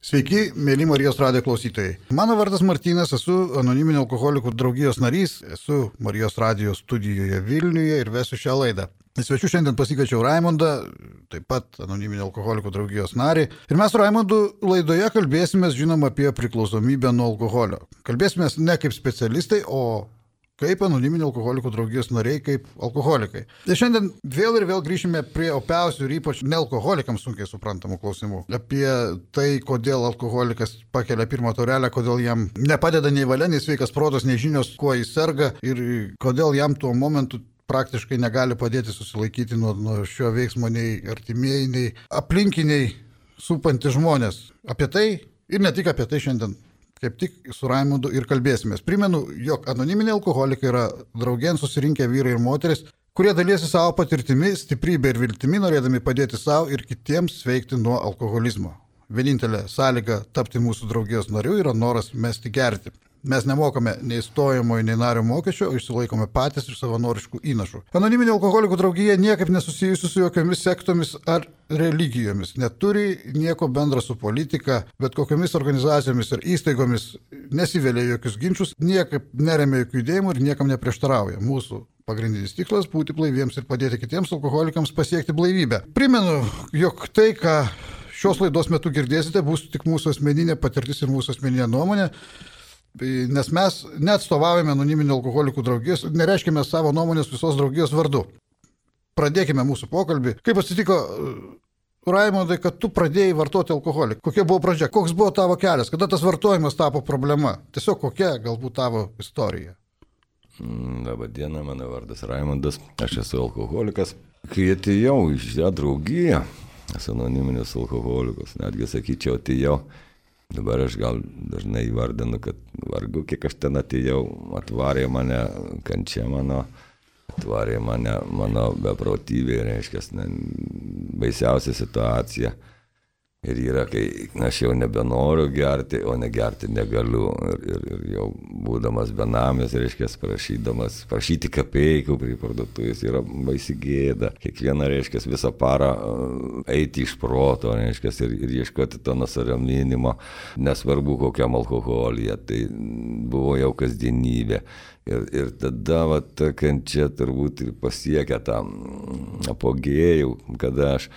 Sveiki, mėly Marijos radijo klausytojai. Mano vardas Martynas, esu anoniminio alkoholikų draugijos narys, esu Marijos radijo studijoje Vilniuje ir vesiu šią laidą. Svečiu šiandien pasikviečiau Raimondą, taip pat anoniminio alkoholikų draugijos narį. Ir mes su Raimondu laidoje kalbėsime, žinoma, apie priklausomybę nuo alkoholio. Kalbėsime ne kaip specialistai, o kaip anoniminio alkoholikų draugijos nariai, kaip alkoholikai. Ir šiandien vėl grįšime prie opiausių ir ypač nealkoholikams sunkiai suprantamų klausimų. Apie tai, kodėl alkoholikas pakelia pirmą taurelę, kodėl jam nepadeda nei valia, nei sveikas protas, nei žinios, kuo jis serga ir kodėl jam tuo momentu praktiškai negali padėti susilaikyti nuo šio veiksmo nei artimieji, nei aplinkiniai supantys žmonės. Apie tai ir ne tik apie tai šiandien kaip tik su Raimondu ir kalbėsimės. Primenu, jog anoniminiai alkoholikai yra draugėn susirinkę vyrai ir moteris, kurie dalysi savo patirtimi, stiprybė ir viltimi, norėdami padėti savo ir kitiems sveikti nuo alkoholizmo. Vienintelė sąlyga tapti mūsų draugijos nariu yra noras mesti gerti. Mes nemokame nei stojamojo, nei nario mokesčio, o išsilaikome patys iš savanoriškų įnašų. Anoniminė alkoholikų draugija niekaip nesusijusi su jokiomis sektomis ar religijomis, neturi nieko bendra su politika, bet kokiamis organizacijomis ir įstaigomis nesivelia jokius ginčius, niekaip neremia jokių judėjimų ir niekam neprieštarauja. Mūsų pagrindinis tikslas - būti blaiviems ir padėti kitiems alkoholikams pasiekti blaivybę. Primenu, jog tai, ką šios laidos metu girdėsite, bus tik mūsų asmeninė patirtis ir mūsų asmeninė nuomonė. Nes mes neatstovaujame anoniminio alkoholikų draugijos, nereiškime savo nuomonės visos draugijos vardu. Pradėkime mūsų pokalbį. Kaip atsitiko, Raimondai, kad tu pradėjai vartoti alkoholį? Kokia buvo pradžia? Koks buvo tavo kelias? Kada tas vartojimas tapo problema? Tiesiog kokia galbūt tavo istorija? Labą dieną, mano vardas Raimondas, aš esu alkoholikas. Kai atėjau į šią draugiją, esu anoniminis alkoholikas, netgi sakyčiau, atėjau. Dabar aš gal dažnai įvardinu, kad vargu, kiek aš ten atėjau, atvarė mane kančia mano, atvarė mano beprotybė, reiškia, baisiausia situacija. Ir yra, kai aš jau nebenoriu gerti, o negerti negaliu. Ir jau būdamas benamis, reiškia, prašyti kapeikų prie parduotuvės yra baisi gėda. Kiekvieną, reiškia, visą parą eiti iš proto, reiškia, ir ieškoti to nusiraminimo, nesvarbu kokiam alkoholyje. Tai buvo jau kasdienybė. Ir tada ta kančia turbūt ir pasiekia tą apogėjų, kada aš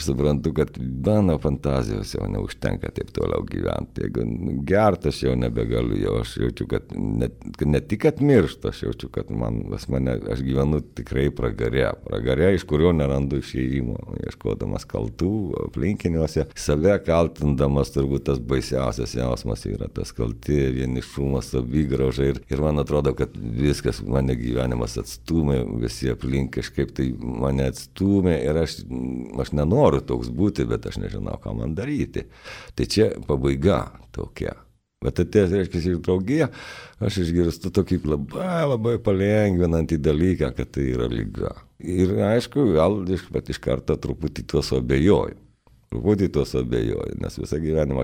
suprantu, kad mano fantazijos jau neužtenka taip toliau gyventi. Jeigu gert, aš jau nebegaliu, jau aš jaučiu, kad ne tik kad miršta, aš jaučiu, kad aš gyvenu tikrai pragare, iš kurio nerandu išėjimo, ieškodamas kaltų aplinkiniuose, save kaltindamas, turbūt tas baisiausias jausmas yra tas kalti, vienišumas, savigrauža ir man atrodo, kad viskas, mane gyvenimas atstūmė, visi aplink kažkaip tai mane atstūmė ir aš nenoriu toks būti, bet aš nežinau, ką man daryti. Tai čia pabaiga tokia. Bet atėjęs, reiškia, iš draugiją, aš išgirstu tokį labai palengvinantį dalyką, kad tai yra liga. Ir aišku, gal iš karto truputį tuos abejoju. Nes visą gyvenimą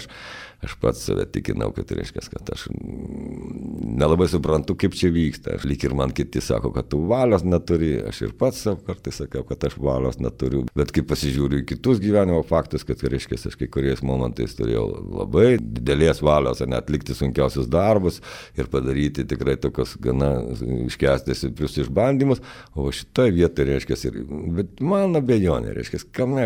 aš pats save tikinau, kad reiškia, kad aš nelabai suprantu, kaip čia vyksta. Lyg ir man kiti sako, kad tu valios neturi, aš ir pats savo kartais sakiau, kad aš valios neturiu. Bet kai pasižiūriu į kitus gyvenimo faktus, kad reiškia, aš kai kuriais momentais turėjau labai didelės valios, atlikti sunkiausius darbus ir padaryti tikrai tokios gana iškęsti stiprius išbandymus, o šitoje vietoje, reiškia, bet man abejonė, reiškia,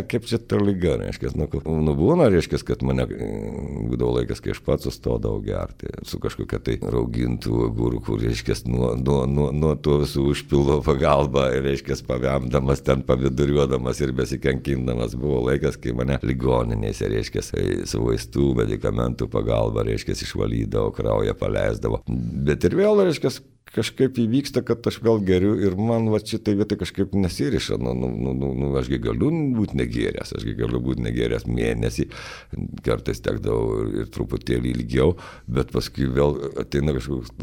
kaip čia ta liga, reiškia, būna, reiškia, kad mane būdavo laikas, kai aš pats sustodavau gerti su kažkokia tai raugintų agurkų, reiškia, nuo to visų užpildo pagalba, reiškia, pavemdamas ten, paviduriuodamas ir besikankindamas. Buvo laikas, kai mane ligoninėse, reiškia, su vaistų, medikamentų pagalba, reiškia, išvalydavo, kraują paleisdavo. Bet ir vėl, reiškia, kažkaip įvyksta, kad aš vėl geriu ir man šitai vietoj kažkaip nesiriša. Ašgi galiu būti negėręs, mėnesį, kartais tekdavau ir truputėlį ilgiau, bet paskui vėl ateina kažkoks,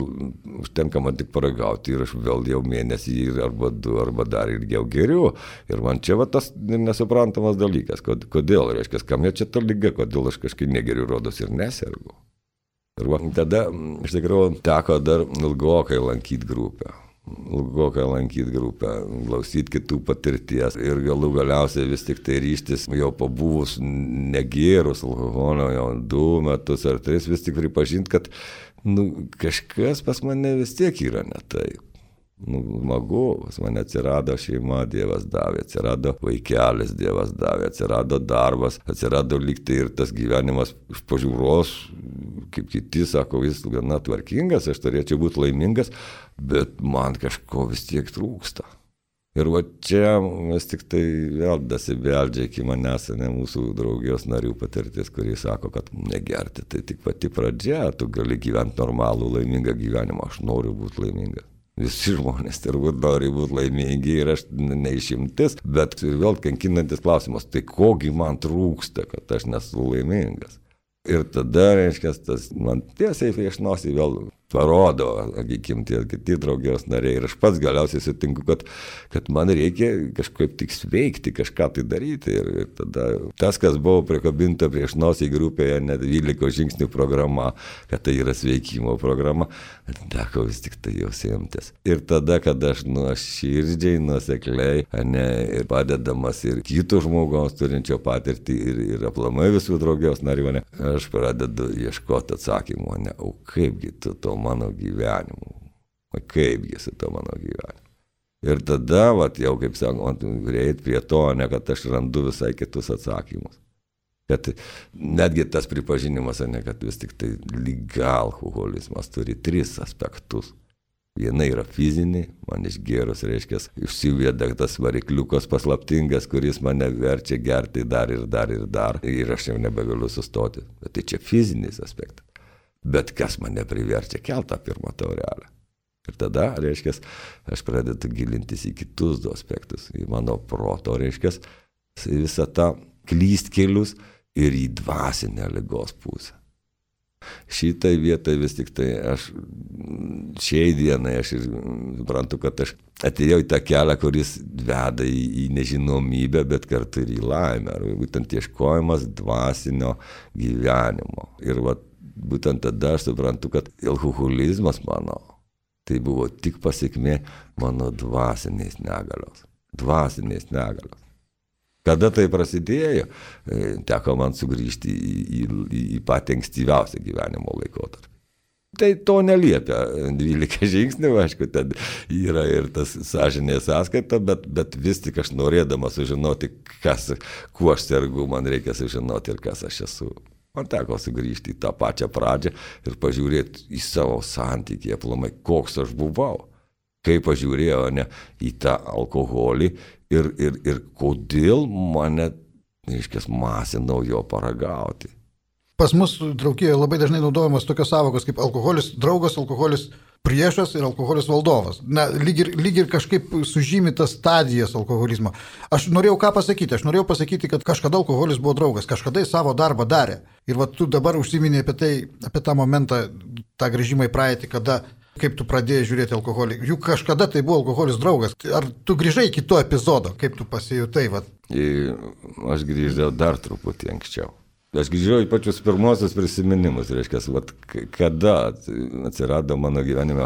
užtenka man tik paragauti ir aš vėl jau mėnesį arba 2 arba dar ilgiau geriu. Ir man čia tas nesuprantamas dalykas, kodėl, reiškia, kam čia ta liga, kodėl aš kažkaip negeriu, rodos ir nesergu. Ir tada iš tikrųjų teko dar ilgokai lankyti grupę. ilgokai lankyti grupę, klausyti kitų patirties ir galiausiai vis tik tai ryštis jau pabuvus negėrus alkoholio jau 2 metus ar 3 vis tik pripažinti, kad kažkas pas mane vis tiek yra ne taip. Smagu, pas mane atsirado šeima, Dievas davė, atsirado vaikelis, Dievas davė, atsirado darbas, atsirado lygtai ir tas gyvenimas iš pažiūros, kaip kiti sako, jis gana tvarkingas, aš turėčiau būti laimingas, bet man kažko vis tiek trūksta. Ir va čia vis tik tai vėl dasibeldžia iki manęs, ne mūsų draugijos narių patirtis, kurie sako, kad negerti, tai tik pati pradžia, tu gali gyventi normalų, laimingą gyvenimą, aš noriu būti laimingas. Visi žmonės turbūt nori būti laimingi ir aš neišimtis, bet vėl kankinantis klausimas, tai kogi man trūksta, kad aš nesu laimingas. Ir tada, reiškia, tas man tiesiai prieš nosį vėl parodo, sakykim, tie kiti draugijos nariai ir aš pats galiausiai sutinku, kad man reikia kažkaip tik sveikti, kažką tai daryti ir tada tas, kas buvo prikabinta prieš nosį grupėje, net 12 žingsnių programa, kad tai yra sveikimo programa, teko vis tik tai jau semtis. Ir tada, kad aš nuoširdžiai, nuosekliai, ir padedamas ir kito žmogaus turinčio patirtį ir aplamai visų draugijos narių, aš pradedu ieškoti atsakymų, o kaipgi tu to mano gyvenimu, kaipgi su to mano gyvenimu. Ir tada, jau kaip sakoma, reikia prie to, kad aš randu visai kitus atsakymus. Kad netgi tas pripažinimas, kad vis tik tai liga alkoholizmas turi 3 aspektus. Viena yra fizinė, man išgėrus, reiškia, išsiveda tas varikliukas paslaptingas, kuris mane verčia gerti dar ir aš jau nebegaliu sustoti. Bet tai čia fizinis aspektas. Bet kas mane priverčia keltą pirmą taurelę. Ir tada, reiškia, aš pradedu gilintis į kitus 2 aspektus, į mano proto, reiškia, visą tą klystkelius ir į dvasinę ligos pusę. Šitai vietai vis tik tai aš šiai dienai aš suprantu, kad aš atėjau į tą kelią, kuris veda į nežinomybę, bet kartu ir į laimę. Būtent ieškojimas dvasinio gyvenimo. Ir būtent tada aš suprantu, kad alkoholizmas mano, tai buvo tik pasiekmė mano dvasinės negalios. Kada tai prasidėjo, teko man sugrįžti į patį ankstyviausią gyvenimo laikotarpį. Tai to neliepia 12 žingsnių, aišku, ten yra ir tas sąžinės sąskaita, bet vis tik aš norėdamas sužinoti, kuo aš sergu, man reikia sužinoti ir kas aš esu. Man teko sugrįžti į tą pačią pradžią ir pažiūrėti į savo santykį, aplamai, koks aš buvau. Kaip pažiūrėjau į tą alkoholį ir kodėl mane, reiškia, masinau jo paragauti. Pas mus draugijoje labai dažnai naudojamos tokios sąvokos kaip alkoholis draugas, alkoholis priešas ir alkoholis valdovas. Lyg ir kažkaip sužymi tas stadijas alkoholizmo. Aš norėjau pasakyti? Aš norėjau pasakyti, kad kažkada alkoholis buvo draugas, kažkada jis savo darbą darė. Ir tu dabar užsiminė apie tą momentą, tą grįžimą į praeitį, kaip tu pradėjai žiūrėti alkoholį. Juk kažkada tai buvo alkoholis draugas. Ar tu grįžai iki to epizodo? Kaip tu pasijutai? Aš grįžau dar truputį anksčiau. Aš grįžau į pačius pirmosius prisiminimus, reiškia, kada atsirado mano gyvenime,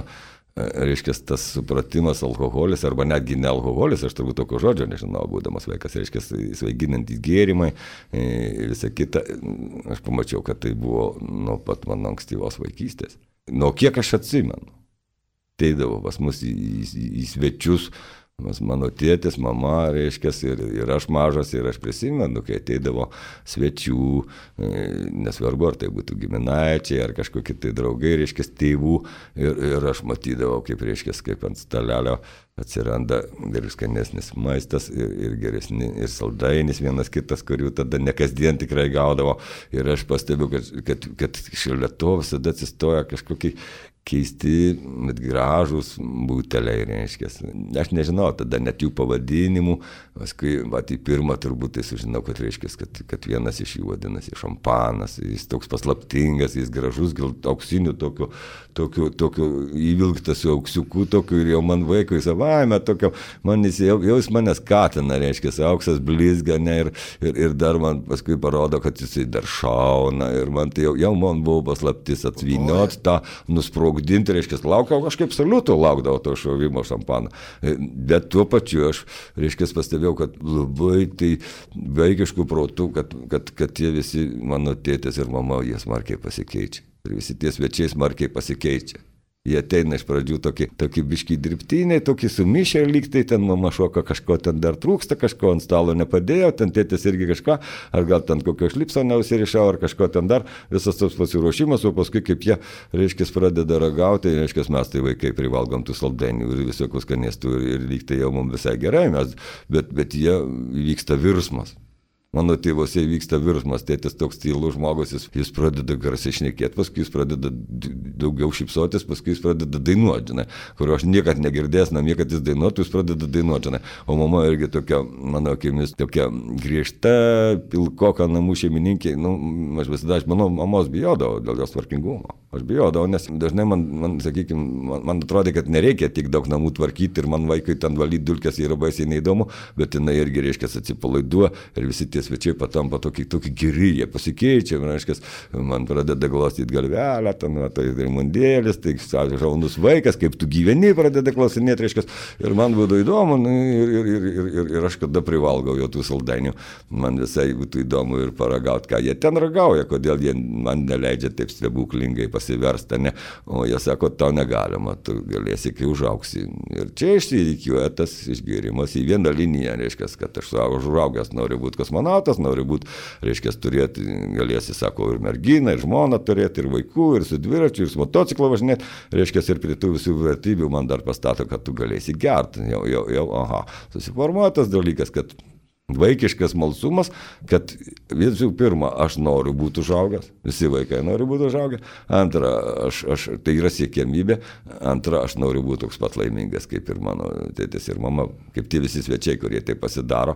reiškia, tas supratimas alkoholis, arba netgi ne alkoholis, aš turbūt tokio žodžio nežinau, būdamas vaikas, reiškia, svaiginantys gėrimai, visa kita, aš pamačiau, kad tai buvo nuo pat mano ankstyvos vaikystės. Nuo kiek aš atsimenu, teidavo pas mus į svečius, mano tėtis, mama, reiškia, ir aš mažas, ir aš prisimenu, kai ateidavo svečių, nesvarbu, ar tai būtų giminaičiai, ar kažkokie tai draugai, reiškia, tėvų, ir aš matydavau, kaip, reiškia, kaip ant stalelio atsiranda ir skanesnis maistas, ir geresni, ir saldainis vienas kitas, kurių tada ne kasdien tikrai gaudavo, ir aš pastebiu, kad šalia to visada atsistoja kažkokie keisti, bet gražūs buteliai, reiškia. Aš nežinau tada net jų pavadinimų, paskui, į pirmą turbūt tai sužinau, kad reiškia, kad vienas iš jų vadinasi šampanas, jis toks paslaptingas, jis gražus, gal auksinių tokių įvilktas su auksiuku, tokiu, ir jau man vaikui savaime tokio, jau jis mane skatina, reiškia, auksas blizga, ir dar man paskui parodo, kad jisai dar šauna, ir man tai jau man buvo paslaptis atvyniot tą nusprogdinti sprogdinti, reiškia, laukiau kažkaip saliuto, laukdavau to šovimo šampano. Bet tuo pačiu aš, reiškia, pastebėjau, kad labai tai vaikiškų protų, kad tie visi mano tėtės ir mama, jie smarkiai pasikeičia. Ir visi tie svečiai smarkiai pasikeičia. Jie ateina iš pradžių tokie biškiai dirbtiniai, tokie sumišę lygtai, ten mama šoka kažko, ten dar trūksta, kažko ant stalo nepadėjo, ten tėtis irgi kažką, ar gal ten kokio šlipso neusirišau, ar kažko ten dar, visas tas pasiruošimas, o paskui kaip jie, reiškia, pradeda ragauti, reiškia, mes tai vaikai privalgom tų saldainių ir visokių skanėstų ir lygtai jau mums visai gerai, bet jie vyksta virsmas. Mano tėvose vyksta virsmas, tėtis toks tylus žmogus, jis pradeda garsiai šnekėti, paskui jis pradeda daugiau šypsotis, paskui jis pradeda dainuoti, žinai, kurio aš niekad negirdėjęs namie, kad jis dainuotų, jis pradeda dainuoti, žinai. O mama irgi tokia, mano akimis, tokia griežta, pilkoka namų šeimininkė, aš visada, mano mamos bijodavau dėl jos tvarkingumo. Aš bijodavau, nes dažnai man atrodė, kad nereikia tik daug namų tvarkyti ir man vaikui ten valyti dulkes yra baisiai neįdomu, bet jinai irgi, reiškia, atsipalaiduoja ir visi tie svečiai patampa tokie geri, jie pasikeičia, reiškia, man pradeda glostyti galvelę, tai Raimondėlis, tai šaunus vaikas, kaip tu gyveni, pradeda klausinėti, reiškia, ir man būtų įdomu, ir aš kada privalgau jau tų saldainių, man visai būtų įdomu ir paragauti, ką jie ten ragauja, kodėl jie man neleidžia taip stebuklingai pasiversti, ne? O jie sako, tau negalima, tu galėsi, kai užauksi. Ir čia išsirikiuoja tas išgėrimas į vieną liniją, reiškia, kad aš užaugęs noriu būti kosmonautas, noriu būti, reiškia, turėti, galėsi, sako, ir merginą, ir žmoną turėti, ir vaikų, ir su dviračiu, ir su motociklo važinėti, reiškia, ir prie tų visų vertybių man dar pastato, kad tu galėsi gerti. Jau, susiformuoja tas dalykas, kad vaikiškas smalsumas, kad visų pirma, aš noriu būti užaugęs, visi vaikai nori būti užaugę, antra, tai yra siekiamybė, antra, aš noriu būti toks pat laimingas, kaip ir mano tėtis ir mama, kaip tie visi svečiai, kurie tai pasidaro.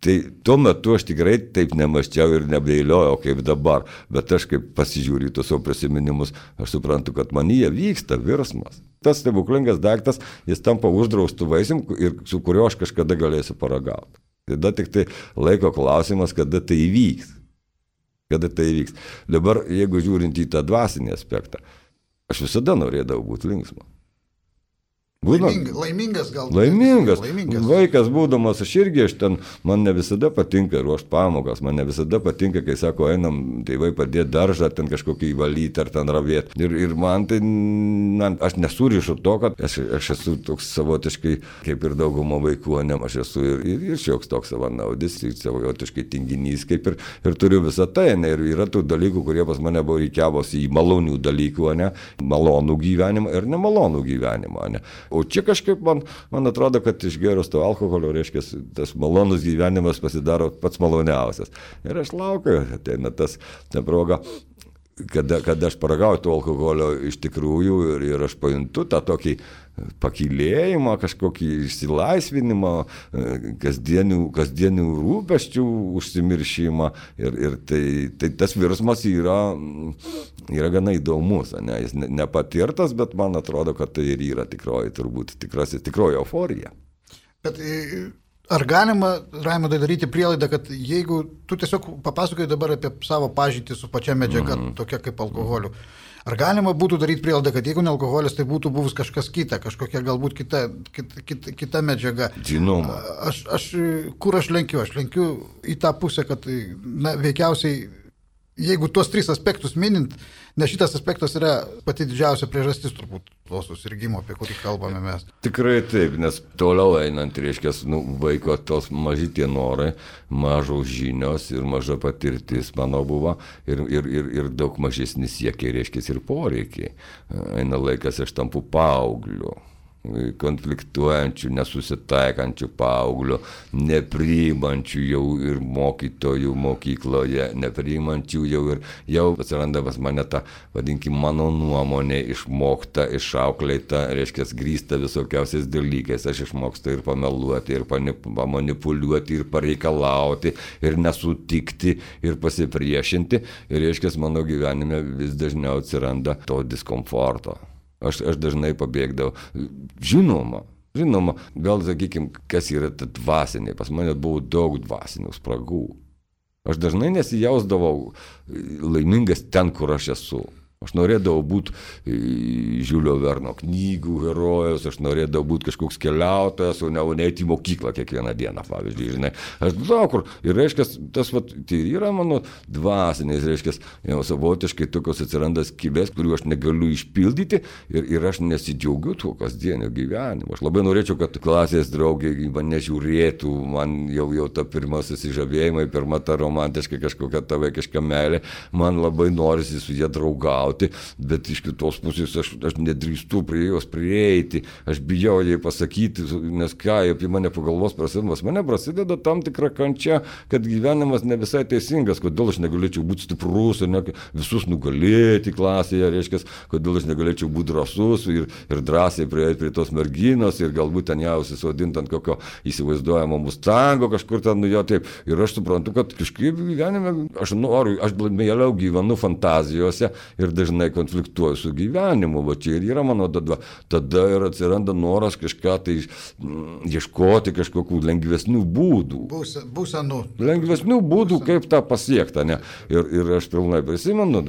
Tai tuo metu aš tikrai taip nemaščiau ir nebeiliojau kaip dabar, bet aš kaip pasižiūriu tos savo prisiminimus, aš suprantu, kad manyje vyksta virsmas. Tas stebuklingas daiktas, jis tampa uždraustų vaisium, su kuriuo aš kažkada galėsiu paragauti. Tada tik tai laiko klausimas, kada tai įvyks. Dabar, jeigu žiūrint į tą dvasinį aspektą, aš visada norėdavau būti linksmas. Laimingas gal. Laimingas. Vaikas būdamas, man ne visada patinka ruošti pamokas, man ne visada patinka, kai sako, einam tėvai padėti daržą, ten kažkokį įvalyti ar ten ravėti. Ir man tai, aš nesurišu to, kad aš esu toks savotiškai, kaip ir daugumo vaikų, ne, aš esu ir šioks toks savanaudis, ir savotiškai tinginys, kaip ir turiu visą tai, ne, ir yra tų dalykų, kurie pas mane buvo reikiavosi į malonių dalykų, ne, malonų gyvenimą ir nemalonų gyvenimą, ne. O čia kažkaip man atrodo, kad išgėrus to alkoholio, reiškia, tas malonus gyvenimas pasidaro pats maloniausias. Ir aš laukiu, ateina ta proga, kada aš paragauju to alkoholio iš tikrųjų ir aš pajuntu tą tokį pakylėjimą, kažkokį išsilaisvinimą, kasdienių rūpesčių užsimiršimą ir tai tas virsmas yra gana įdomus, ne? Jis nepatirtas, bet man atrodo, kad tai ir yra tikroji euforija. Bet ar galima, Raimondai, daryti prielaidą, kad jeigu tu tiesiog papasakoji dabar apie savo pažintį su pačia medžiaga, tokia kaip alkoholiu, ar galima būtų daryti prielaidą, kad jeigu ne alkoholis, tai būtų buvus kažkas kita, kažkokia galbūt kita medžiaga? Žinoma. Kur aš lenkiu? Aš lenkiu į tą pusę, kad, veikiausiai, jeigu tuos tris aspektus minint, nes šitas aspektas yra pati didžiausia priežastis turbūt to susirgimo, apie kurį kalbame mes. Tikrai taip, nes toliau einant, reiškia, vaiko tos maži tie norai, mažos žinios ir maža patirtis mano buvo ir daug mažesnis siekiai, reiškia, ir poreikiai. Eina laikas, aš tampu paaugliu. Konfliktuojančių, nesusitaikančių paauglių, nepriimančių jau ir mokytojų mokykloje, nepriimančių jau atsiranda pas mane ta, vadinkim, mano nuomonė išmokta, išauklėta, reiškia, grįsta visokiausiais dalykais. Aš išmokstu ir pameluoti, ir pamanipuliuoti, ir pareikalauti, ir nesutikti, ir pasipriešinti. Ir, reiškia, mano gyvenime vis dažniau atsiranda to diskomforto. Aš dažnai pabėgdavau. Žinoma, gal sakykim, kas yra ta dvasinė. Pas mane buvo daug dvasinių spragų. Aš dažnai nesijausdavau laimingas ten, kur aš esu. Aš norėdavau būti Žiulio Verno knygų herojus, aš norėdavau būti kažkoks keliautojas, o ne eiti į mokyklą kiekvieną dieną, pavyzdžiui, žinai. Aš daug kur, ir reiškia, tas tai yra mano dvasiniais, reiškia, jau savotiškai tokios atsiranda skybės, kurių aš negaliu išpildyti ir aš nesidžiaugiu tuo kasdienio gyvenimu. Aš labai norėčiau, kad klasės draugiai mane žiūrėtų, man jau ta pirma susižavėjimai, pirma ta romantiška kažkokia ta vaikiška meilė, man labai norisi su jie draugauti. Bet iš kitos pusės aš nedrįstu prie jos prieiti, aš bijau jai pasakyti, nes ką apie mane pagalvos prasideda tam tikra kančia, kad gyvenimas ne visai teisingas, kodėl aš negalėčiau būti stiprus ir visus nugalėti klasėje, reiškia, kodėl aš negalėčiau būti drąsus ir drąsiai prieiti prie tos merginos ir galbūt ten ją užsisodinti ant kokio įsivaizduojamo mustango kažkur ten, nu jo taip. Ir aš suprantu, kad kažkaip gyvenime aš mieliau gyvenu fantazijose ir dažnai konfliktuoju su gyvenimu, va čia ir yra mano tada ir atsiranda noras kažką tai ieškoti kažkokių lengvesnių būdų. Būsenų. Lengvesnių būdų, kaip tą pasiekti, ne? Ir aš pilnai prisimenu,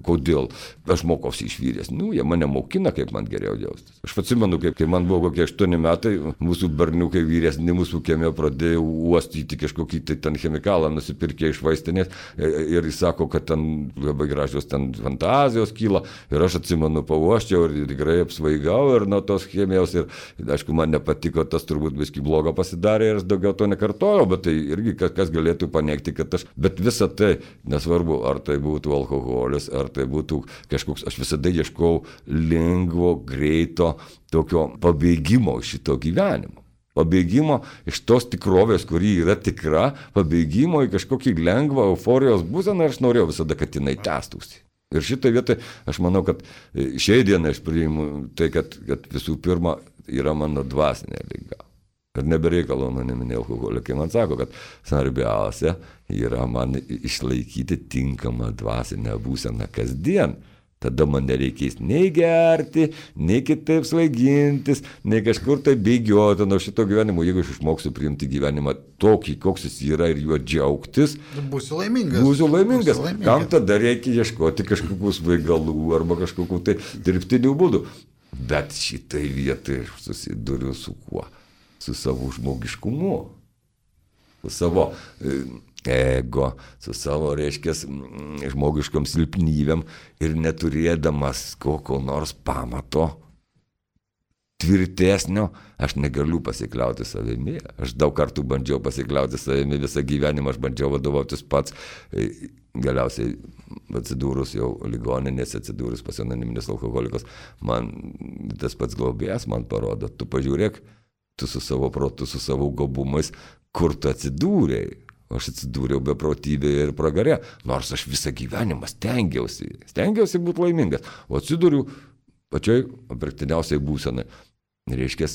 kodėl aš mokausi iš vyresnių, jie mane mokina, kaip man geriau jaustis. Aš atsimenu, kai man buvo kokie 8 metai, mūsų berniukai vyresni mūsų kieme pradėjo uostyti kažkokį tai ten chemikalą, nusipirkė iš vaistinės ir jis sako, kad ten labai gražios ten fantazijos kyla ir aš atsimenu, pauoščiau ir tikrai apsvaigau ir nuo tos chemijos ir aišku, man nepatiko, tas turbūt biškį blogo pasidarė ir aš daugiau to nekartojau, bet tai irgi kas galėtų paneigti, kad bet visa tai, nesvarbu, ar tai būtų alkoholis, ar tai būtų kažkoks, aš visada ieškau lengvo, greito, tokio pabėgimo iš šito gyvenimo. Pabėgimo iš tos tikrovės, kuri yra tikra, pabėgimo į kažkokį lengvą euforijos būseną ir aš norėjau visada, kad jinai tęstųsi. Ir šitą vietą aš manau, kad šiai dienai aš priimu tai, kad visų pirma yra mano dvasinė liga. Kad nebereikalo anoniminiai alkoholikai man sako, kad svarbiausia yra man išlaikyti tinkamą dvasinę būseną kasdien. Tada man nereikės nei gerti, nei kitaip svaigintis, nei kažkur tai bėgioti nuo šito gyvenimo. Jeigu aš išmoksiu priimti gyvenimą tokį, koks jis yra ir juo džiaugtis, būsiu laimingas. Būsiu laimingas. Kam tada reikia ieškoti kažkokių svaigalų arba kažkokių tai dirbtinių būdų. Bet šitai vietai aš susiduriu su kuo? Su savo žmogiškumu. Su savo ego, su savo, reiškia, žmogiškom silpnybėm ir neturėdamas kokio nors pamato tvirtesnio, aš negaliu pasikliauti savimi. Aš daug kartų bandžiau pasikliauti savimi, visą gyvenimą aš bandžiau vadovautis pats. Galiausiai atsidūrus jau ligoninės, atsidūrus pas anoniminius alkoholikus, man tas pats globėjas man parodo, tu pažiūrėk, tu su savo protu, su savo gabumais, kur tu atsidūrėjai. Aš atsidūriau beprotybėje ir pragare, nors aš visą gyvenimą stengiausi būti laimingas, o atsidūriau pačioj apverktiniausiai būsenai. Reiškia,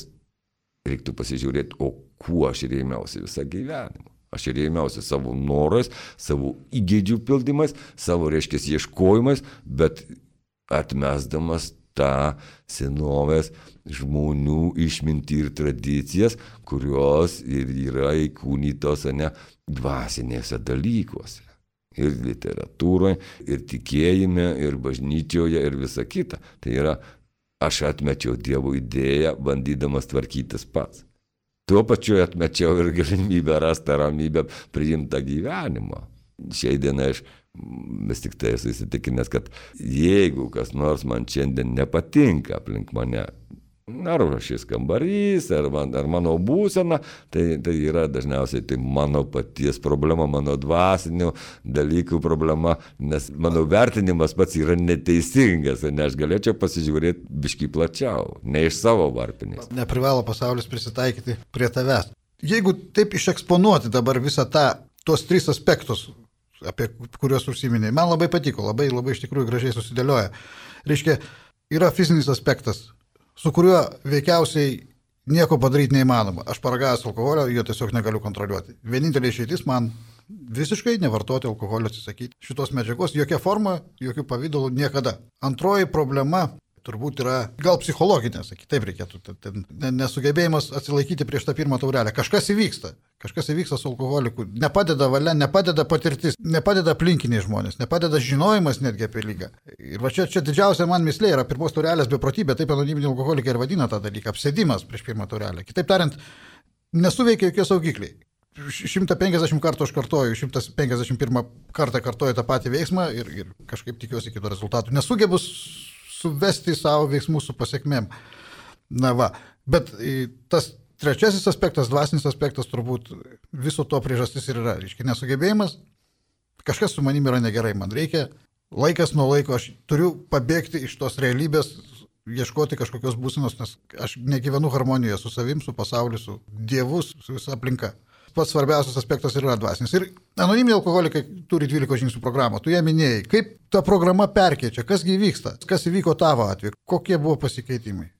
reiktų pasižiūrėti, o kuo aš rėmiausi visą gyvenimą. Aš rėmiausi savo norais, savo įgeidžių pildymais, savo, reiškia, ieškojimais, bet atmesdamas tą senovės žmonių išmintį ir tradicijas, kurios ir yra įkūnytos dvasinėse dalykuose. Ir literatūroje, ir tikėjime, ir bažnyčioje, ir visa kita. Tai yra, aš atmečiau Dievo idėją, bandydamas tvarkytis pats. Tuo pačiu atmečiau ir galimybę rasti ramybę priimtą gyvenimą. Šiai dienai aš vis tik tai esu įsitikinęs, kad jeigu kas nors man šiandien nepatinka aplink mane, ar šis kambarys, ar mano būsena, tai yra dažniausiai tai mano paties problema, mano dvasinių dalykų problema, nes mano vertinimas pats yra neteisingas, nes aš galėčiau pasižiūrėti biškį plačiau, ne iš savo varpinės. Neprivalo pasaulis prisitaikyti prie tavęs. Jeigu taip išeksponuoti dabar visą tuos 3 aspektus, apie kuriuos užsiminėjai, man labai patiko, labai iš tikrųjų gražiai susidėlioja. Reiškia, yra fizinis aspektas, su kuriuo veikiausiai nieko padaryti neįmanoma. Aš paragavęs alkoholio, jo tiesiog negaliu kontroliuoti. Vienintelė išeitis man visiškai nevartoti alkoholio, atsisakyti šitos medžiagos, jokia forma, jokių pavydalų niekada. Antroji problema, turbūt yra gal psichologinės, kitaip reikėtų, nesugebėjimas atsilaikyti prieš tą pirmą taurelę. Kažkas įvyksta su alkoholiku, nepadeda valia, nepadeda patirtis, nepadeda aplinkiniai žmonės, nepadeda žinojimas netgi apie lygą. Ir va čia didžiausia man mislė yra pirmos taurelės beprotybė, taip anoniminiai alkoholikai ir vadina tą dalyką, apsėdimas prieš pirmą taurelę. Kitaip tariant, nesuveikia jokie saugikliai. 150 kartų aš kartoju, 151 kartą kartoju tą patį veiksmą ir kažkaip tikiuosi kito rezultatų. Nesugebu suvesti savo veiksmų su pasiekmėm. Na va, bet tas trečiasis aspektas, dvasinis aspektas turbūt viso to priežastis ir yra. Reiškia, nesugebėjimas, kažkas su manimi yra negerai, man reikia laikas nuo laiko, aš turiu pabėgti iš tos realybės, ieškoti kažkokios būsenos, nes aš negyvenu harmonijoje su savim, su pasauliu, su Dievu, su visa aplinka. Pats svarbiausias aspektas yra dvasinis. Ir anoniminiai alkoholikai turi 12 žingsnių programą. Tu ją minėjai. Kaip ta programa perkeičia? Kasgi vyksta? Kas įvyko tavo atveju? Kokie buvo pasikeitimai?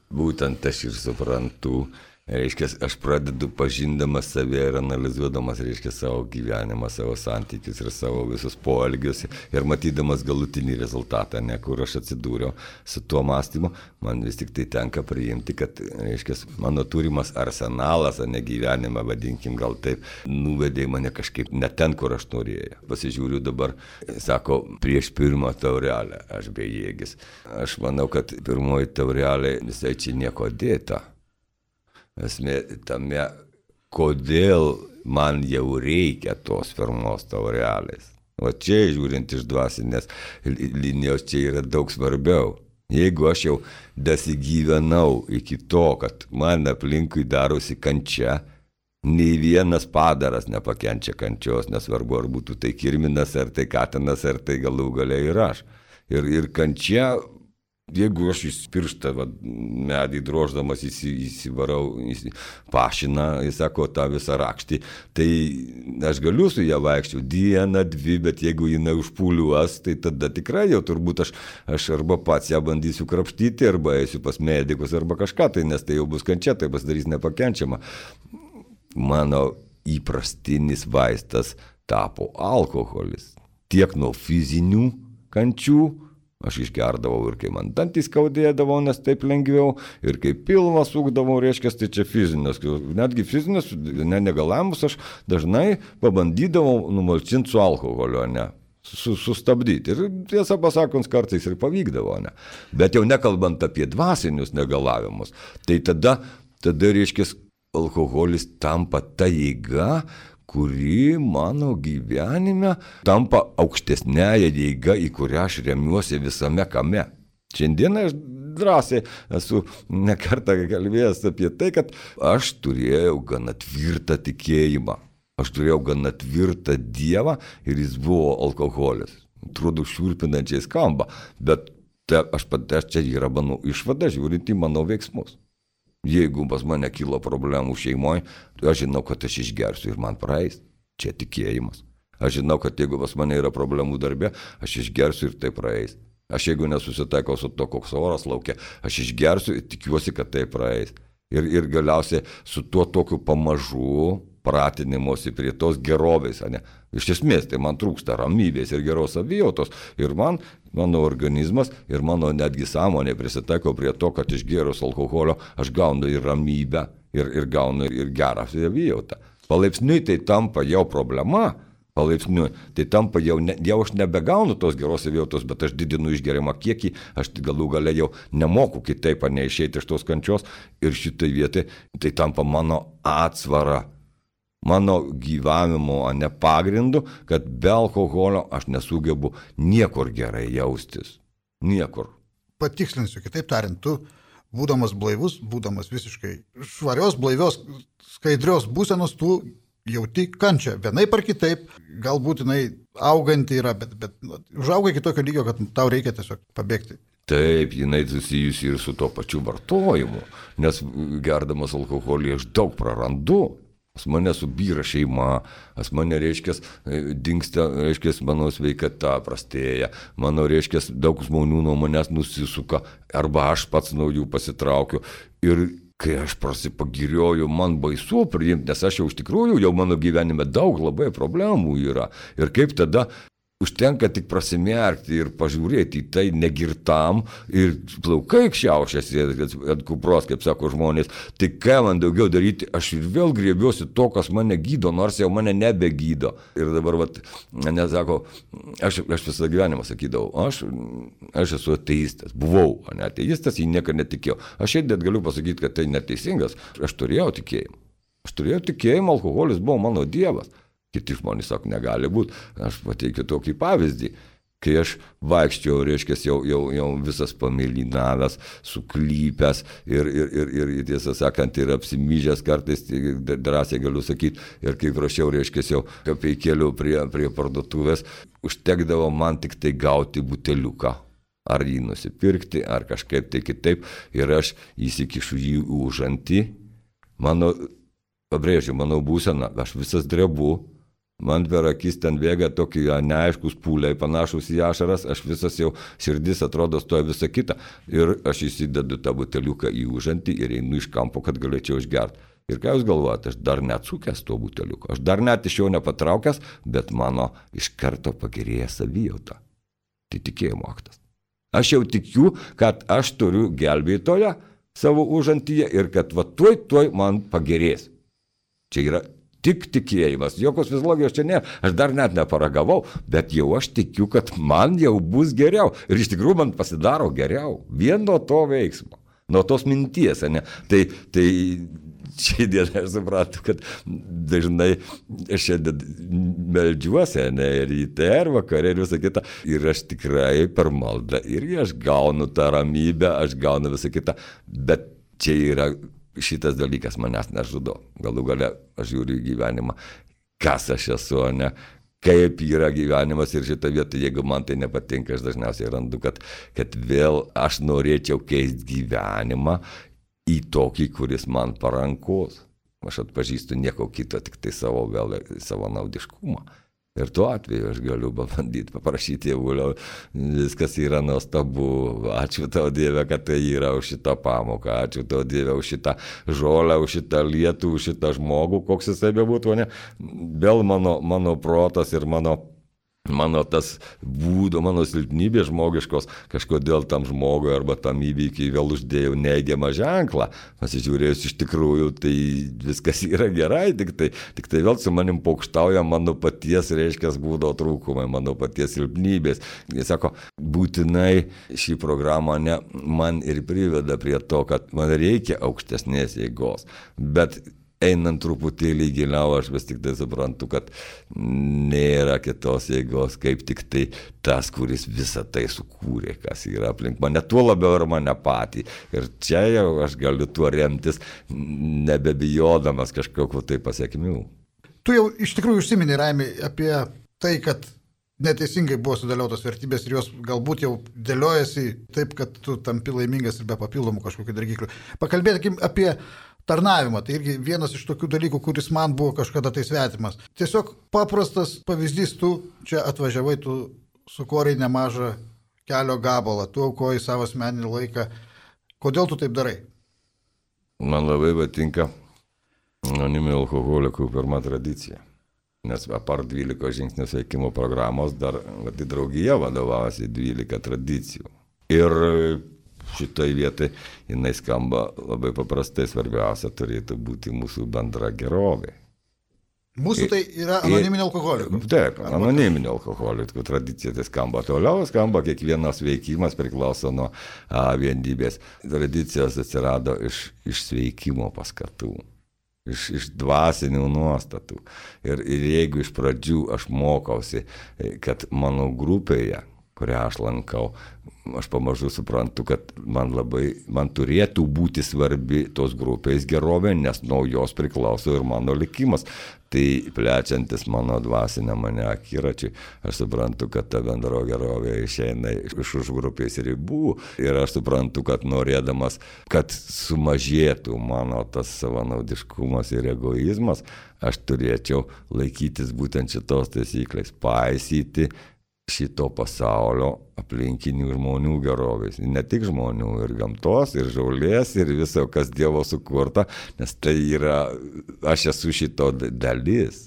Būtent aš ir suprantu. Reiškia, aš pradedu pažindamas save ir analizuodamas, reiškia, savo gyvenimą, savo santykius ir savo visus poelgius ir matydamas galutinį rezultatą, ne, kur aš atsidūriau su tuo mąstymu, man vis tik tai tenka priimti, kad, reiškia, mano turimas arsenalas, ne gyvenimą, vadinkim gal taip, nuvedė mane kažkaip ne ten, kur aš norėjau. Pasižiūriu dabar, sako, prieš pirmą taurelę aš bejėgis. Aš manau, kad pirmoji taurelė visai čia nieko dėta. Esmė tame, kodėl man jau reikia tos pirmos taurelės. O čia, žiūrint iš dvasinės linijos, čia yra daug svarbiau. Jeigu aš jau dasigyvenau iki to, kad man aplinkui darosi kančia, nei vienas padaras nepakenčia kančios, nesvarbu, ar būtų tai kirminas, ar tai katinas, ar tai galų gale ir aš. Ir kančia, jeigu aš pirštą medį droždamas įsivarau, pašiną, jis sako, tą visą rakštį, tai aš galiu su ją vaikščiau dieną, dvi, bet jeigu jinai užpūliuos, tai tada tikrai jau turbūt aš arba pats ją bandysiu krapštyti, arba eisiu pas medikus, arba kažką, tai nes tai jau bus kančia, tai pasidarys nepakenčiama. Mano įprastinis vaistas tapo alkoholis. Tiek nuo fizinių kančių, aš išgerdavau ir kai man dantys skaudėdavo, nes taip lengviau, ir kai pilvą sukdavau, reiškia, tai čia fizinės. Netgi fizinės negalavimus aš dažnai pabandydavau numalčinti su alkoholiu, ne, sustabdyti. Ir tiesą pasakant, kartais ir pavykdavo, ne. Bet jau nekalbant apie dvasinius negalavimus, tai tada reiškia, alkoholis tampa ta jėga, kuri mano gyvenime tampa aukštesnėje jėga, į kurią aš remiuosi visame kame. Šiandieną aš drąsiai esu nekartą kalbėjęs apie tai, kad aš turėjau gana tvirtą tikėjimą. Aš turėjau gana tvirtą Dievą ir jis buvo alkoholis. Atrodo, šiurpinančiai skamba, bet aš čia yra mano išvada, žiūrint į mano veiksmus. Jeigu pas mane kilo problemų šeimoje, aš žinau, kad aš išgersiu ir man praeis. Čia tikėjimas. Aš žinau, kad jeigu pas mane yra problemų darbe, aš išgersiu ir tai praeis. Aš jeigu nesusitaikau su to, koks oras laukia, aš išgersiu ir tikiuosi, kad tai praeis. Ir galiausiai su tuo tokiu pamažu pratinimuosi prie tos gerovės. Ne? Iš esmės, tai man trūksta ramybės ir geros savijautos. Ir mano organizmas ir mano netgi sąmonė prisitaiko prie to, kad išgėrus alkoholio aš gaunu ir ramybę ir gaunu ir gerą savijautą. Palaipsniui tai tampa jau problema. Palaipsniui tai tampa jau aš nebegaunu tos geros savijautos, bet aš didinu išgeriamą kiekį, aš galų gale jau nemoku kitaip, neišeiti iš tos kančios ir šitai vietai tai tampa mano atsvara, mano gyvavimo, ne pagrindu, kad be alkoholio aš nesugebu niekur gerai jaustis. Niekur. Patikslinsiu, kitaip tariant, tu, būdamas blaivus, būdamas visiškai švarios, blaivios, skaidrios būsenos, tu jauti kančią. Vienaip ar kitaip, galbūt jinai auganti yra, bet užauga iki tokio lygio, kad tau reikia tiesiog pabėgti. Taip, jinai susijusi ir su to pačiu vartojimu, nes gerdamas alkoholį aš daug prarandu. Pas mane subyra šeima, pas mane, reiškia, dingsta, reiškia, mano sveikata prastėja, mano, reiškia, daug žmonių nuo manęs nusisuka, arba aš pats nuo jų pasitraukiu. Ir kai aš prasipagirioju, man baisu priimti, nes aš jau iš tikrųjų, jau mano gyvenime daug labai problemų yra. Ir kaip tada Užtenka tik prasimerkti ir pažiūrėti į tai negirtam ir plaukai šiaušiasi ant kupros, kaip sako žmonės. Tai ką man daugiau daryti, aš ir vėl griebiuosi to, kas mane gydo, nors jau mane nebegydo. Ir dabar, nesako, aš visą gyvenimą sakydavau, aš esu ateistas, buvau ateistas, į nieką netikėjau. Aš šiandien galiu pasakyti, kad tai neteisingas, aš turėjau tikėjimą. Aš turėjau tikėjimą, alkoholis buvo mano dievas. Kiti žmonės sako, negali būti. Aš pateikiu tokį pavyzdį. Kai aš vaikščiau, reiškia, jau visas pamėlynavęs, suklypęs ir tiesą sakant, ir apsimyžęs kartais, drąsiai galiu sakyti, ir kai prašiau, reiškia, jau kapeikėlių prie parduotuvės, užtekdavo man tik tai gauti buteliuką. Ar jį nusipirkti, ar kažkaip tai kitaip. Ir aš įsikišu jį užantį. Mano būsena, aš visas drebu. Man per akis ten bėga tokie neaiškus pūliai, panašus į ašaras, aš visas jau širdis atrodo stoja visą kitą. Ir aš įsidedu tą buteliuką į užantį ir einu iš kampo, kad galėčiau išgerti. Ir ką jūs galvojate, aš dar neatsukęs to buteliuko, aš dar net iš jo nepatraukęs, bet mano iš karto pagerėja savijauta. Tai tikėjimo aktas. Aš jau tikiu, kad aš turiu gelbėtoją savo užantyje ir kad tuoj man pagerės. Čia yra tik tikėjimas, jokios fiziologijos čia nėra, aš dar net neparagavau, bet jau aš tikiu, kad man jau bus geriau. Ir iš tikrųjų man pasidaro geriau, vien nuo to veiksmo, nuo tos minties, ne? Tai šiandien aš supratau, kad dažnai aš šiandien meldžiuosi, ne, ryte ir vakare ir visą kitą, ir aš tikrai per maldą, ir aš gaunu tą ramybę, aš gaunu visą kitą, bet čia yra šitas dalykas manęs nežudo. Galų gale aš žiūriu į gyvenimą, kas aš esu, ne, kaip yra gyvenimas ir šitą vietą, jeigu man tai nepatinka, aš dažniausiai randu, kad vėl aš norėčiau keisti gyvenimą į tokį, kuris man parankus. Aš atpažįstu nieko kito, tik tai savo naudiškumą. Ir tuo atveju aš galiu pabandyti, paprašyti Dievulio, viskas yra nuostabu, ačiū tau Dieve, kad tai yra už šitą pamoką, ačiū tau Dieve už šitą žolę, už šitą lietų, už šitą žmogų, koks jisai bebūtų, ne? Vėl mano protas ir mano tas būdo, mano silpnybė žmogiškos, kažkodėl tam žmogui arba tam įvykiai vėl uždėjau neigiamą ženklą. Pasižiūrėjus iš tikrųjų, tai viskas yra gerai, tik tai vėl su manim pokštauja mano paties, reiškia, būdo trūkumai, mano paties silpnybės. Jis sako, būtinai šį programą man ir priveda prie to, kad man reikia aukštesnės jėgos, bet einant truputėlį giliau, aš vis tik tai suprantu, kad nėra kitos jėgos, kaip tik tai tas, kuris visą tai sukūrė, kas yra aplink mane, tuo labiau ir mane patį. Ir čia jau aš galiu tuo remtis, nebebijodamas kažkokiu tai pasiekmių. Tu jau iš tikrųjų užsiminei, Raimi, apie tai, kad neteisingai buvo sudėliotos vertybės ir jos galbūt jau dėliojasi taip, kad tu tampi laimingas ir be papildomų kažkokių dirgiklių. Pakalbėkim apie tarnavimą. Tai irgi vienas iš tokių dalykų, kuris man buvo kažkada tai svetimas. Tiesiog paprastas pavyzdys, tu čia atvažiavai, tu sukorei nemažą kelio gabalą, tu aukoji savo asmeninį laiką. Kodėl tu taip darai? Man labai patinka anoniminių alkoholikų pirma tradicija. Nes apart 12 žingsnių sveikimo programos dar draugija vadovavosi 12 tradicijų. Ir šitoj vietai jinai skamba labai paprastai, svarbiausia turėtų būti mūsų bendra gerovė. Mūsų tai yra anoniminio alkoholikų. Taip, anoniminio alkoholikų tradicija tai skamba. Toliau skamba, kiekvienas veikimas priklauso nuo vienybės. Tradicijos atsirado iš sveikimo paskatų, iš dvasinių nuostatų. Ir jeigu iš pradžių aš mokausi, kad mano grupėje, kurią aš lankau, aš pamažu suprantu, kad man turėtų būti svarbi tos grupės gerovė, nes nuo jos priklauso ir mano likimas. Tai plečiantis mano dvasinę mane akiračiai, aš suprantu, kad ta bendro gerovė išeina iš už grupės ribų ir aš suprantu, kad norėdamas, kad sumažėtų mano tas savanaudiškumas ir egoizmas, aš turėčiau laikytis būtent šitos taisyklės, paisyti šito pasaulio aplinkinių žmonių gerovės. Ne tik žmonių, ir gamtos, ir žaulės, ir viso, kas Dievo sukurta, nes tai yra, aš esu šito dalis.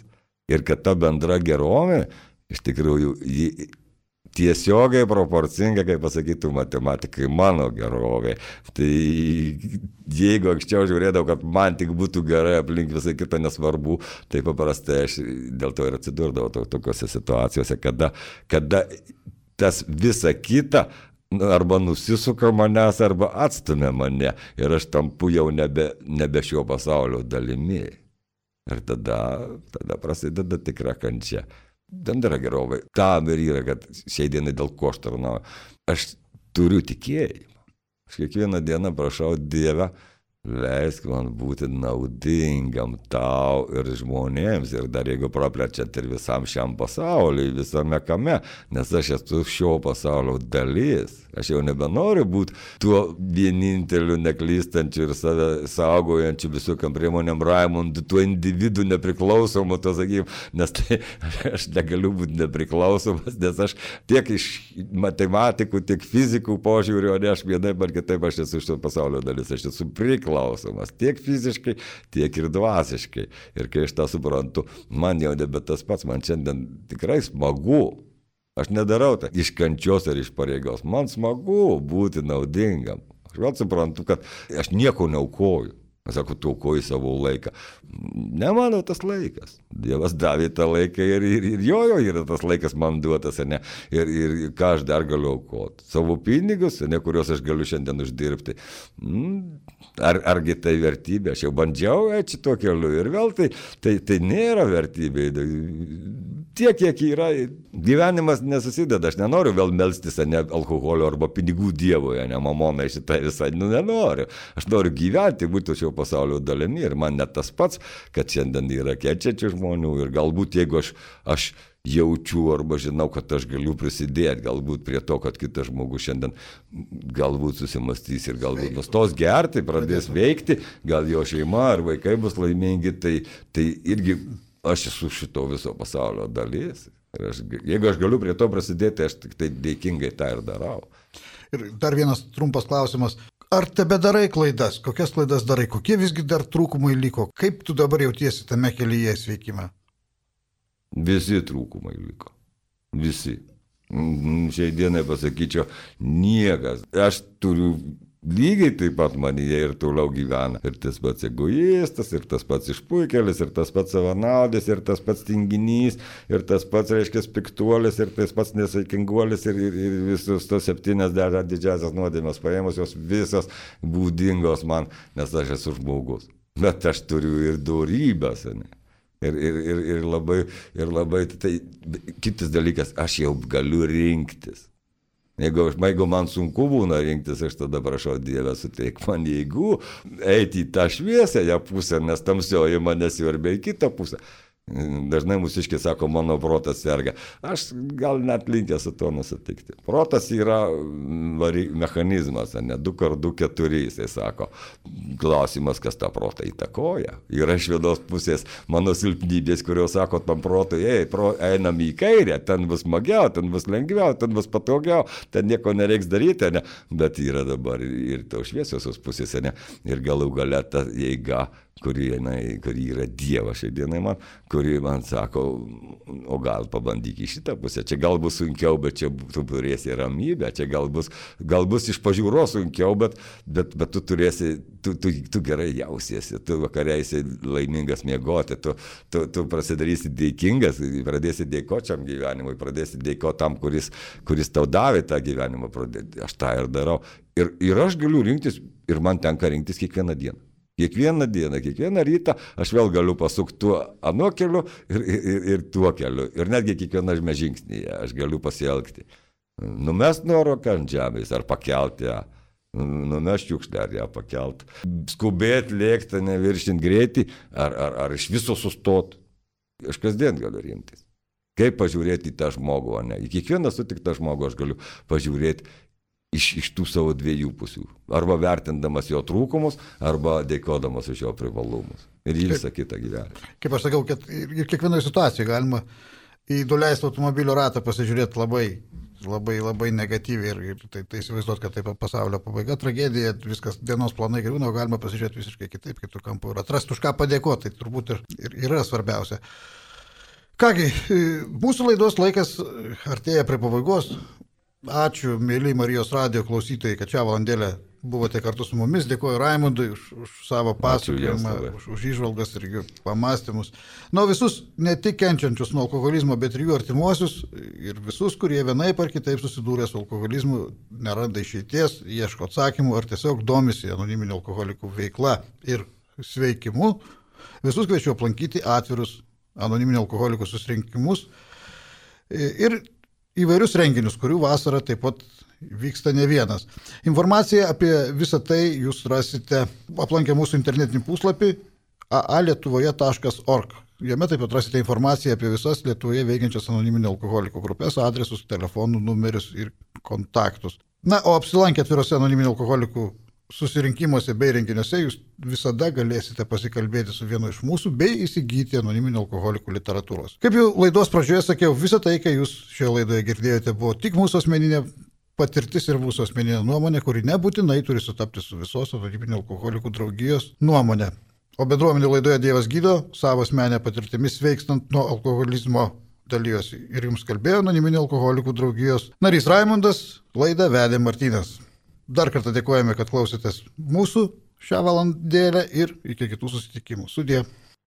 Ir kad ta bendra gerovė iš tikrųjų, tiesiogiai proporcinga, kaip pasakytų matematikai, mano gerovė. Tai jeigu anksčiau žiūrėdavau, kad man tik būtų gerai, aplink visai kitą nesvarbu, tai paprastai aš dėl to ir atsidurdavau tokiuose situacijose, kada tas visa kita arba nusisuka manęs, arba atstumia mane ir aš tampu jau nebe šio pasaulio dalimi. Ir tada prasideda tikra kančia. Bendra gerovė. Tam ir yra, kad šiai dienai dėl ko aš tarnauju. Aš turiu tikėjimą. Aš kiekvieną dieną prašau Dievę, leisk man būti naudingam tau ir žmonėms. Ir dar jeigu praplečiant ir visam šiam pasauliui, visame kame, nes aš esu šio pasaulio dalis. Aš jau nebenoriu būti tuo vieninteliu neklystančiu ir save saugojančiu visokiam priemonėm Raimundu, tuo individu nepriklausomu, to sakykim, nes tai aš negaliu būti nepriklausomas, nes aš tiek iš matematikų, tiek fizikų požiūriu, o ne aš vienaip ar kitaip aš esu šio pasaulio dalis, aš esu priklausomas tiek fiziškai, tiek ir dvasiškai. Ir kai aš tą suprantu, man jau nebe tas pats, man šiandien tikrai smagu. Aš nedarau tai iš kančios ar iš pareigos. Man smagu būti naudingam. Aš vėl suprantu, kad aš nieko neaukoju. Aš sakau, tu aukoji savo laiką. Ne mano tas laikas. Dievas davė tą laiką ir jo yra tas laikas man duotas, ne? Ir ką aš dar galiu aukoti? Savo pinigus, ne, kuriuos aš galiu šiandien uždirbti. Argi tai vertybė? Aš jau bandžiau eiti šito keliu ir vėl tai nėra vertybė. Tiek, kiek yra, gyvenimas nesusideda, aš nenoriu vėl melstis, ne alkoholio arba pinigų dievoje, ne mamonai šitą visą, nenoriu. Aš noriu gyventi, būti šio pasaulio dalimi ir man net tas pats, kad šiandien yra kenčiančių žmonių ir galbūt jeigu aš jaučiu arba žinau, kad aš galiu prisidėti galbūt prie to, kad kitas žmogus šiandien galbūt susimastys ir galbūt nustos gerti, pradės veikti, gal jo šeima ar vaikai bus laimingi, tai irgi aš esu šito viso pasaulio dalis. Jeigu aš galiu prie to prasidėti, aš tik tai dėkingai tą ir darau. Ir dar vienas trumpas klausimas. Ar tebedarai klaidas? Kokias klaidas darai? Kokie visgi dar trūkumai liko? Kaip tu dabar jautiesi tame kelyje sveikime? Visi trūkumai liko. Visi. Šiai dienai pasakyčiau, niekas. Aš turiu lygiai taip pat manyje ir toliau gyvena. Ir tas pats egoistas, ir tas pats išpuikelis, ir tas pats savanaudis, ir tas pats tinginys, ir tas pats, reiškia, piktuolis, ir tas pats nesaikinguolis, ir visus tos 70 didžiasias nuodėmės paėmus, jos visos būdingos man, nes aš esu žmogus. Bet aš turiu ir dorybės, ne? Ir labai, tai kitas dalykas, aš jau galiu rinktis. Jeigu man sunku būna rinktis, aš tada prašau Dievę, suteik man jėgų eiti į tą šviesiąją pusę, nes tamsioji mane siurbia į kitą pusę. Dažnai mūsiškiai sako, mano protas serga. Aš gal net linkęs su to nusitikti. Protas yra mechanizmas, ne 2x2 4, jisai sako. Klausimas, kas tą protą įtakoja. Yra iš vienos pusės mano silpnybės, kurios sako tam protui, einam į kairę, ten bus smagiau, ten bus lengviau, ten bus patogiau, ten nieko nereiks daryti, ne? Bet yra dabar ir to šviesiosios pusės, ne? Ir galų gale ta jėga, kuri yra Dievas šiai dienai man, kuri man sako, o gal pabandyk į šitą pusę, čia gal bus sunkiau, bet čia tu turėsi ramybę, čia gal bus iš pažiūros sunkiau, bet tu turėsi, tu gerai jausiesi, tu vakareisi laimingas miegoti, tu prasidarysi dėkingas, pradėsi dėkočiam gyvenimui, pradėsi dėkoti tam, kuris tau davė tą gyvenimą, aš tą ir darau. Ir aš galiu rinktis, ir man tenka rinktis kiekvieną dieną. Kiekvieną dieną, kiekvieną rytą aš vėl galiu pasukti tuo anuo keliu ir tuo keliu. Ir netgi kiekviename žingsnyje aš galiu pasielgti. Numest nuoroką ant žemės ar pakelti ją. Numest šiukšlę ar ją pakelti. Skubėti, lėkti, neviršinti greitį ar iš viso sustoti. Aš kasdien galiu rinktis. Kaip pažiūrėti į tą žmogų, o ne? Į kiekvieną sutiktą žmogų aš galiu pažiūrėti iš tų savo dviejų pusių. Arba vertindamas jo trūkumus, arba dėkodamas už jo privalumus. Ir visą kitą gyvenimą. Kaip aš sakiau, kad ir kiekvienoje situacijoje galima į nuleistą automobilio ratą pasižiūrėti labai negatyviai ir tai įsivaizduoti, kad tai pasaulio pabaiga, tragedija, viskas dienos planai griūna, o galima pasižiūrėti visiškai kitaip, kitų kampų ir atrasti už ką padėkoti. Tai turbūt ir yra svarbiausia. Kągi, mūsų laidos laikas artėja prie pabaigos. Ačiū, mėly Marijos radijo klausytojai, kad šią valandėlę buvote kartu su mumis. Dėkuoju Raimundui už savo pasakojimą, už įžvalgas ir jų pamastymus. Visus ne tik kenčiančius nuo alkoholizmo, bet ir jų artimuosius ir visus, kurie vienaip ar kitaip susidūrė su alkoholizmu, neranda išeities, ieško atsakymų ar tiesiog domisi anoniminių alkoholikų veikla ir sveikimu. Visus kviečiu aplankyti atvirus anoniminių alkoholikų susirinkimus ir įvairius renginius, kurių vasarą taip pat vyksta ne vienas. Informaciją apie visą tai jūs rasite aplankę mūsų internetinį puslapį aalietuvoje.org. Jame taip pat rasite informaciją apie visas Lietuvoje veikiančias anoniminių alkoholikų grupės, adresus, telefonų, numerius ir kontaktus. O apsilankę atvirose anoniminių alkoholikų susirinkimuose bei renginiuose jūs visada galėsite pasikalbėti su vienu iš mūsų bei įsigyti anoniminių alkoholikų literatūros. Kaip jau laidos pradžioje sakiau, visą tai, ką jūs šioje laidoje girdėjote, buvo tik mūsų asmeninė patirtis ir mūsų asmeninė nuomonė, kuri nebūtinai turi sutapti su visos anoniminių alkoholikų draugijos nuomonė. O bendruomenių laidoje Dievas gydo, savo asmenę patirtimis sveikstant nuo alkoholizmo dalyjosi. Ir jums kalbėjo anoniminių alkoholikų draugijos narys Raimundas, laidą vedė Martynas. Dar kartą dėkojame, kad klausėtės mūsų šią valandėlę ir iki kitų susitikimų. Sudie.